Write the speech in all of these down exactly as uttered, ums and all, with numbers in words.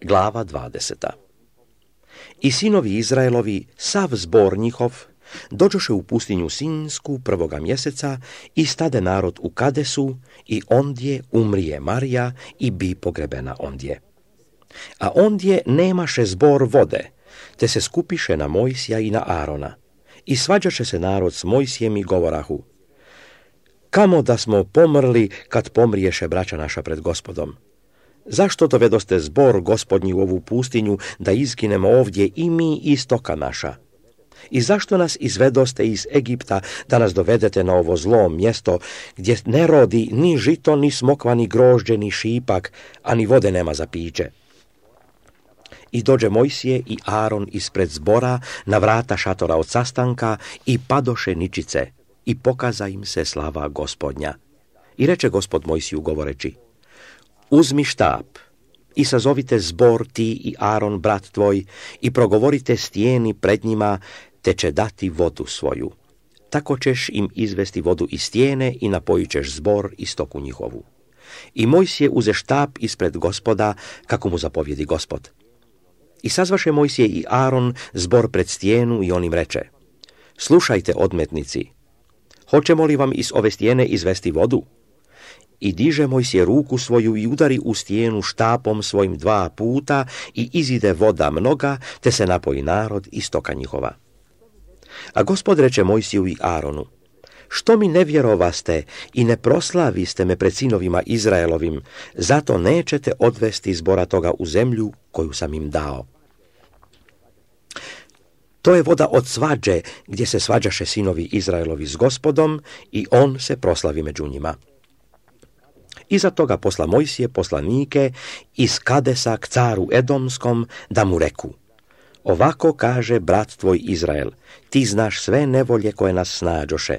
Glava dvadeseta. I sinovi Izraelovi, sav zbor njihov, dođoše u pustinju Sinsku prvoga mjeseca i stade narod u Kadesu i ondje umrije Marija i bi pogrebena ondje. A ondje nemaše zbor vode, te se skupiše na Mojsija i na Arona. I svađaše se narod s Mojsijem i govorahu: kamo da smo pomrli kad pomriješe braća naša pred Gospodom? Zašto dovedoste zbor Gospodnji u ovu pustinju da izginemo ovdje i mi i stoka naša? I zašto nas izvedoste iz Egipta da nas dovedete na ovo zlo mjesto gdje ne rodi ni žito, ni smokva, ni grožđe, ni šipak, a ni vode nema za piće? I dođe Mojsije i Aron ispred zbora na vrata šatora od sastanka i padoše ničice i pokaza im se slava Gospodnja. I reče Gospod Mojsiju govoreći: uzmi štap i sazovite zbor ti i Aron brat tvoj i progovorite stijeni pred njima, te će dati vodu svoju. Tako ćeš im izvesti vodu iz stijene i napojit ćeš zbor i stoku njihovu. I Mojsije uze štap ispred Gospoda, kako mu zapovjedi Gospod. I sazvaše Mojsije i Aron zbor pred stijenu i on im reče: slušajte, odmetnici, hoćemo li vam iz ove stijene izvesti vodu? I diže Mojsije ruku svoju i udari u stijenu štapom svojim dva puta i izide voda mnoga, te se napoji narod i stoka njihova. A Gospod reče Mojsiju i Aronu: što mi ne vjerovaste i ne proslaviste me pred sinovima Izraelovim, zato nećete odvesti zbora toga u zemlju koju sam im dao. To je voda od svađe, gdje se svađaše sinovi Izraelovi s Gospodom i on se proslavi među njima. Iza toga posla Mojsije poslanike iz Kadesa k caru Edomskom da mu reku: ovako kaže brat tvoj Izrael, ti znaš sve nevolje koje nas snađoše.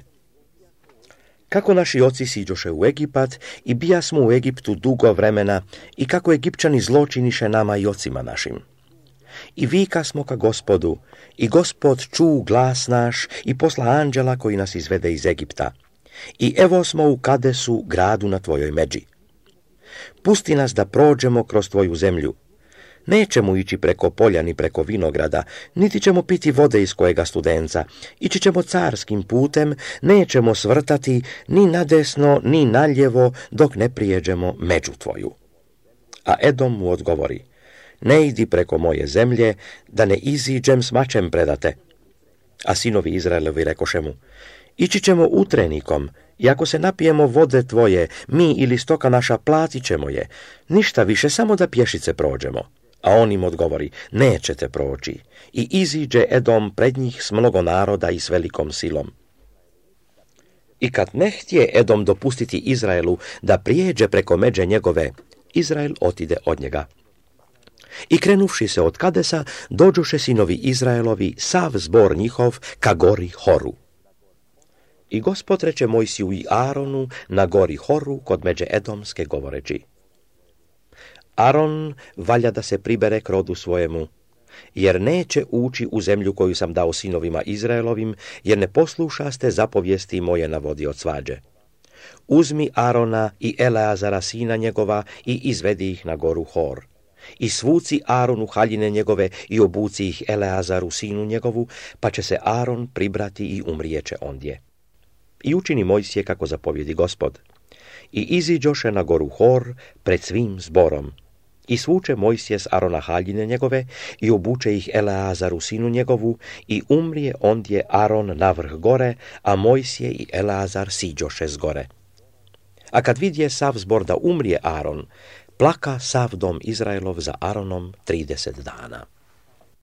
Kako naši oci siđoše u Egipat i bija smo u Egiptu dugo vremena i kako Egipćani zločiniše nama i ocima našim. I vika smo ka Gospodu i Gospod ču glas naš i posla anđela koji nas izvede iz Egipta. I evo smo u Kadesu, gradu na tvojoj međi. Pusti nas da prođemo kroz tvoju zemlju. Nećemo ići preko polja ni preko vinograda, niti ćemo piti vode iz kojega studenca. Ići ćemo carskim putem, nećemo svrtati ni nadesno ni naljevo dok ne prijeđemo među tvoju. A Edom mu odgovori: ne idi preko moje zemlje, da ne iziđem s mačem predate. A sinovi Izraelovi rekoše mu: ići ćemo utrenikom, i ako se napijemo vode tvoje, mi ili stoka naša platit ćemo je, ništa više, samo da pješice prođemo. A on im odgovori: nećete proći. I iziđe Edom pred njih s mnogo naroda i s velikom silom. I kad ne htje Edom dopustiti Izraelu da prijeđe preko međe njegove, Izrael otide od njega. I krenuvši se od Kadesa, dođoše sinovi Izraelovi, sav zbor njihov, ka gori Horu. I Gospod reče Mojsiju i Aronu na gori Horu kod međe Edomske govoreći: Aron valja da se pribere k rodu svojemu, jer neće ući u zemlju koju sam dao sinovima Izraelovim, jer ne poslušaste zapovijesti moje na vodi od svađe. Uzmi Arona i Eleazara sina njegova i izvedi ih na goru Hor. I svuci Aronu haljine njegove i obuci ih Eleazaru sinu njegovu, pa će se Aron pribrati i umrijeće ondje. I učini Mojsije kako zapovjedi Gospod. I iziđoše na goru Hor pred svim zborom. I svuče Mojsije s Arona haljine njegove i obuče ih Eleazaru sinu njegovu i umrije ondje Aron na vrh gore, a Mojsije i Eleazar siđoše s gore. A kad vidje sav zbor da umrije Aron, plaka sav dom Izraelov za Aronom trideset dana.